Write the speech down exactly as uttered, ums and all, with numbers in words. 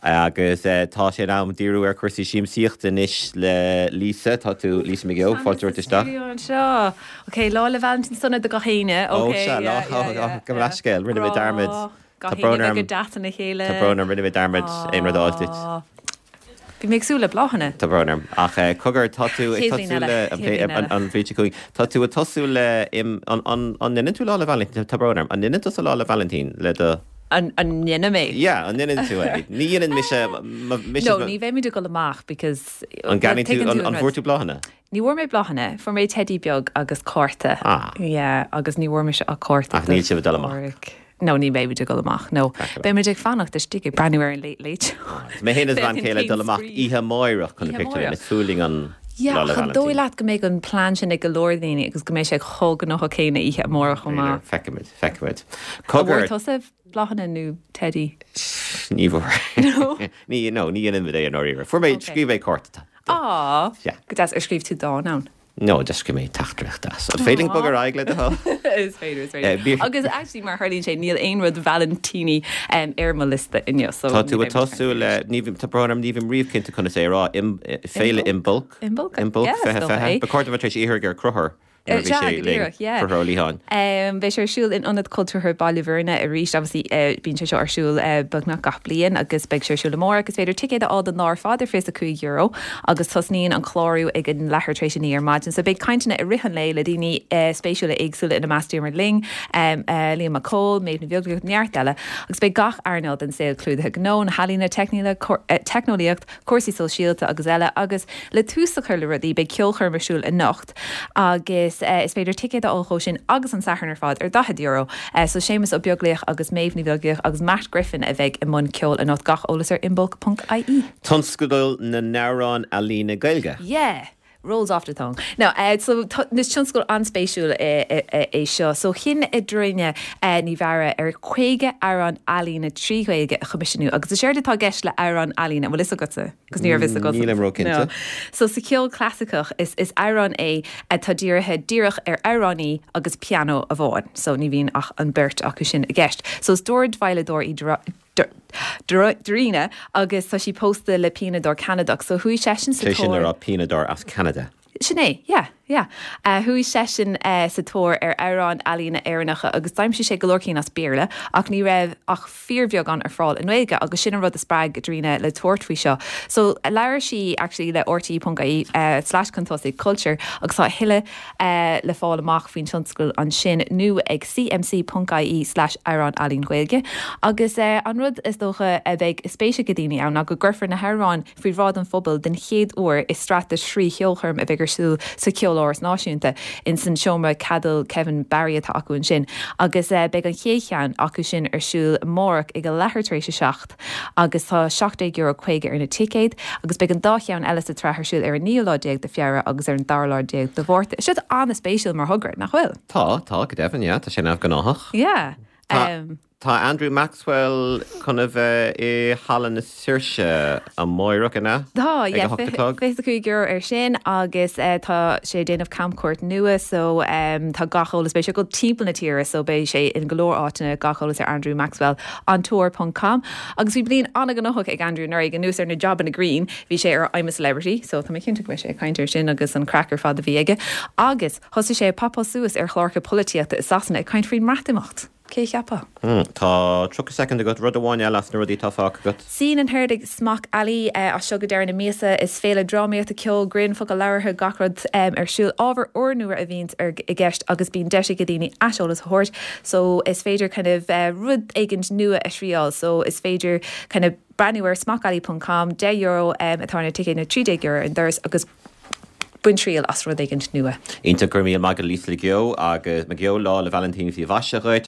Agus tá sé in am díriú ar chúrsaí siamsaíochta anois le Lisa tá tú Lisa McGill fáilte isteach. Seo. Ok, Lá 'le Vailintín sona do gach éinne go leithscéal rinne mé dearmad Tá brón go deas na chéile Tá brón rinne mé dearmad aon rud a fháil duit. Bhí mé ag súil le bláthanna. Tá brón orm ach cogar tá tú ag tosú le an bhliain seo chugainn. Tá tú ag tosú le an ndéanann tú Lá 'le Vailintín tá brón orm an ndéanann tú Lá 'le Vailintín le do An ndéanaim é? Yeah, an ndéanann tú é. Ní dhéanann mise No, ní bheimid ag dul amach because An gceannaíonn tú an bhfuair tú bláthanna? Ní bhfuair mé bláthanna, fuair mé teidí beag agus cárta. Ah. Yeah, agus ní bhfuair mise ach cárta. Ach níl sibh ag dul amach. No, ní bheimid ag dul amach. No, beimid ag fanacht istigh ag breathnú ar an Late Late Show. Mé féin is bean chéile ag dul amach oíche amárach chun na pictiúrlann. Is fuath linn an Yeah, Lá 'le an Vailintín. dóigh leat go mbeidh an plean sin ag go leor daoine agus go mbeidh sé chomh gnóthach céanna oíche amárach chomh maith. Feicfimid, feicfimid. An Cogar bhfuair tusa bláthanna nó teidí? Ní bhfuair. No. Ní no, ní dhéanaim é i ndáiríre. Fuair mé scríobh mé cárta. Á, Yeah. go deas ar scríobh tú dán ann. No, just scríobh mé teachtaireacht deas. An féidir linn bogadh ar aghaidh le do thoil? Is féidir, is Eh, féidir. bí- Agus actually mar tharlaíonn sé níl aon rud Vailintíní um, ar mo liosta inniu. So Tá tú ní ag bheidh tosú le ní tá brón orm ní bhím riamh cinnte conas é a rá im- féile Imbolc. Imbolc, Imbolc yeah, is fiche dócha fiche. é. Ba chóir dom bheith tar éis iarraidh ar Conchúr. Eh, sea, go díreach, yeah. Conchúr Ó Liatháin. Um, beidh sé ar siúl in Ionad Cultúrtha Baile Bhuirne arís obviously uh, bíonn sé seo ar siúl uh, beagnach gach bliain agus beidh sé ar siúl amárach agus féidir ticéad a fháil don lá ar fad ar fiche cúig euro agus tosnaíonn an clárú ag an leathuair tar éis a naoi ar maidin. So beidh cainteanna i rith an lae le daoine uh, spéisiúla éagsúla ina measc Diarmuid Lyng, um, uh, Liam Mac Cóil, Méabh Ní Bheaglaoich neart eile, agus beidh gach earnáil den saol clúdaithe gnó na healaíona teicníola, uh, teicneolaíocht, cúrsaí sóisialta agus eile agus le tús a chur le rudaí beidh ceolchoirm ar siúl anocht agus uh, is féidir ticéad a fháil dó sin agus an Satharn ar fad ar daichead euro. Uh, so Séamus Ó Beaglaoich agus Méabh Ní Bheaglaoich agus Matt Griffin a bheidh i mbun ceoil anocht gach eolas ar imbolc.ie. Tionscadal na n-amhrán ealaíne Gaeilge. Yeah. Rolls off the tongue. Now, uh, so is tionscadal an-spéisiúil é seo, so chinn Edrine uh, Ní Bheara ar caoga amhrán ealaíne trí Ghaeilge a choimisiúnú, agus is éard atá i gceist le amhrán ealaíne bhfuil fhios agatsa, cos ní raibh agat. Nílim róchinnte. No. So sa cheol clasaiceach is is amhrán é atá dírithe díreach ar amhránaí agus pianó amháin, so ní bhíonn ach an beirt acu sin i gceist. So is dordveidhleadóir í Darina agus tá sí pósta le pianadóir Ceanadach, so chuaigh seisean Sé sin ar pianadóir as Canada. Sin é, yeah, yeah. Uh, chuaigh seisean uh, sa tóir ar amhráin ealaíne Éireannacha agus d'aimsigh sé go leor cinn as Béarla ach ní raibh ach fíorbheagán ar fáil i nGaeilge agus sin an rud a spreag Darina le tabhairt faoi seo. So labhair sí actually le RTÉ.ie uh, slash chun tosaigh culture agus tá tuilleadh uh, le fáil amach faoin tionscadal ansin nó ag cmc.ie slash amhrán ealaín Gaeilge. Agus uh, an rud is dócha a bheidh spéis ag daoine ann ná go gcuirfear na hamhráin faoi bhráid an phobail den chéad uair i sraith de thrí cheolchoirm a bheidh ar siúl sa Cheoláras Náisiúnta in san seomra ceoil Kevin Barry atá acu ansin agus uh, beidh an chéad cheann acu sin ar siúl amárach ag a leathuair tar éis a seacht agus tá seacht euro caoga ar na ticéid agus beidh an dá cheann eile sa tsraith ar siúl ar an naoú lá déag de Feabhra agus ar an dara lá déag de Mhárta. Siad an-spéisiúil mar thogra nach bhfuil? Tá tá go deimhin tá sé neamhghnách. Yeah. Tá- Um, Tá Andrew Maxwell chun a bheith i Halla na Saoirse amárach an ea? Tá Ag a hocht a chlog? fiche cúig euro ar sin agus uh, tá sé déanamh camchuairt nua so um, tá gach eolas beidh sé go timpeall na tíre so beidh sé in go leor áiteanna gach eolas ar Andrew Maxwell on tour.com agus bhí bliain an-ghnóthach ag Andrew nuair anuas ar na jobanna grinn bhí sé ar I'm a Celebrity so tá mé cinnte go mbeidh sé ag caint air sin agus an craic ar fad a bhí aige agus thosaigh sé popáil suas ar chláracha polaitíochta i Sasana ag caint faoin mBreatimeacht. Cé cheapfadh? Hmm, Tá tríocha soicind agat rud amháin eile as na rudaí atá fágtha agat. Scene and Heard ag Smock Alley uh, as seo go deireadh na míosa is féile drámaíochta ceol grinn focal labhartha gach rud um, ar siúl ábhar úrnua a bhíonn ar i gceist agus bíonn deis ag daoine aiseolas a thabhairt so is féidir kind of uh, rud éigin nua a thriail so is féidir kind of breathnú ar smockalley.com deich euro um, atá na ticéid nó trí déag euro an doras agus bain triail as rud éigin nua. Iontach go raibh míle maith agat Lisa McGeough agus McGeough Lá 'le Vailintín faoi mhaise dhuit.